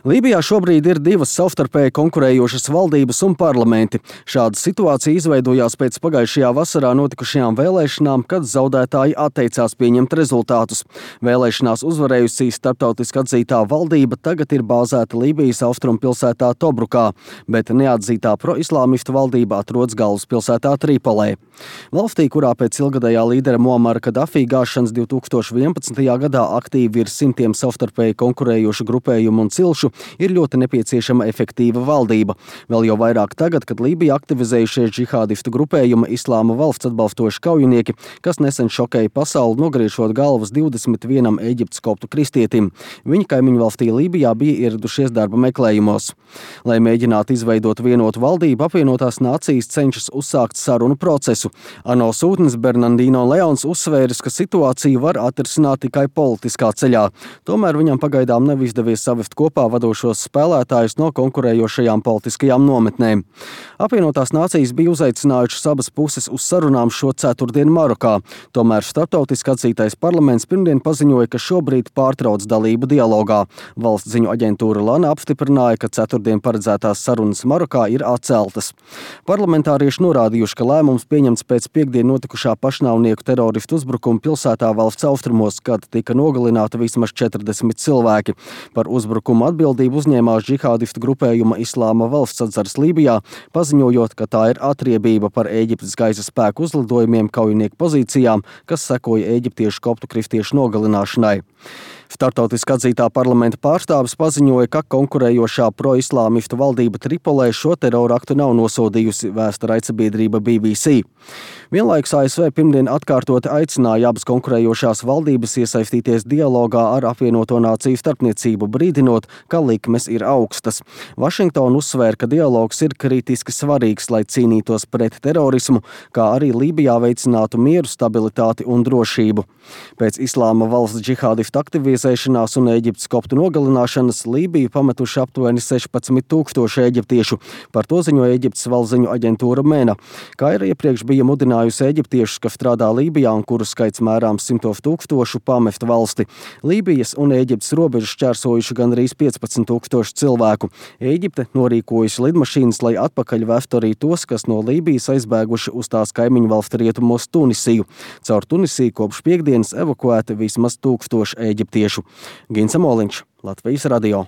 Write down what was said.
Lībijā šobrīd ir divas savstarpēji konkurējošas valdības un parlamenti. Šāda situācija izveidojās pēc pagājušajā vasarā notikušajām vēlēšanām, kad zaudētāji atteicās pieņemt rezultātus. Vēlēšanās uzvarējusī starptautiski atzītā valdība tagad ir bāzēta Lībijas austrumpilsētā Tobrukā, bet neatzītā proislāmistu valdība atrodas galvaspilsētā Tripolē. Valstī, kurā pēc ilgadējā līdera Muamara Kadafī gāšanas 2011. gadā aktīvi ir simtiem savstarpēji konkurējošu grupējumu un cilšu, ir ļoti nepieciešama efektīva valdība. Vēl jau vairāk tagad, kad Lībijā aktivizējušies džihādistu grupējuma Islāma valsts atbalstoši kaujinieki, kas nesen šokēja pasauli, nogriežot galvas 21 Ēģiptes koptu kristietim. Viņi kaimiņu valstī Lībijā bija ieradušies darba meklējumos. Lai mēģinātu izveidot vienotu valdību, apvienotās nācijas cenšas uzsākt sarunu procesu. ANO sūtnis Bernardino Leons uzsvēris, ka situāciju var atrisināt tikai politiskā ceļā. Tomēr viņam pagaidām nav izdevies savest kopā vadošos spēlētājus no konkurējošajām politiskajām nometnēm. Apvienotās nācijas bija uzaicinājušas abas puses uz sarunām šo ceturtdienu Marokā. Tomēr starptautiski atzītais parlaments pirmdien paziņoja, ka šobrīd pārtrauc dalību dialogā. Valsts ziņu aģentūra Lana apstiprināja, ka ceturtdien paredzētās sarunas Marokā ir atceltas. Parlamentārieši norādījuši, ka lēmums pieņemts pēc piekdien notikušā pašnāvnieku teroristu uzbrukuma pilsētā valsts austrumos, kad tika nogalināta vismaz 40 cilvēki. Par uzbrukumu atbildību uzņēmās džihādistu grupējuma Islāma valsts atzars Lībijā, paziņojot, ka tā ir atriebība par Ēģiptes gaisa spēku uzlidojumiem kaujinieku pozīcijām, kas sekoja ēģiptiešu koptu kristiešu nogalināšanai. Startautiski atzītā parlamenta pārstāvis paziņoja, ka konkurējošā proislāmistu valdība Tripolē šo teroraktu nav nosodījusi, vēsta raidsabiedrība BBC. Vienlaikus ASV pirmdien atkārtoti aicināja abas konkurējošās valdības iesaistīties dialogā ar apvienoto nāciju starpniecību, brīdinot, ka likmes ir augstas. Vašingtona uzsvēra, ka dialogs ir kritiski svarīgs, lai cīnītos pret terorismu, kā arī Lībijā veicinātu mieru, stabilitāti un drošību. Pēc Islāma valsts džihādistu aktivizēšanās un Ēģiptes koptu nogalināšanas Lībiju pametuši aptuveni 16,000 eģiptiešu. Par to ziņoja Ēģiptes valsts ziņu aģentūra MENA. Kā ir iepriekš bija mudinājusi eģiptiešus, kas strādā Lībijā un kuru skaits mērāms 100,000, pamest valsti. Lībijas un Ēģiptes robežu šķērsojuši gandrīz 15,000 cilvēku. Ēģipte norīkojusi lidmašīnas, lai atpakaļ vestu arī tos, kas no Lībijas aizbēguši uz tās kaimiņu valstu rietumos Tunisiju. Caur Tunisiju kopš piekdienas evakuēti vismaz 1000 eģiptiešu. Gins Amoliņš, Latvijas radio.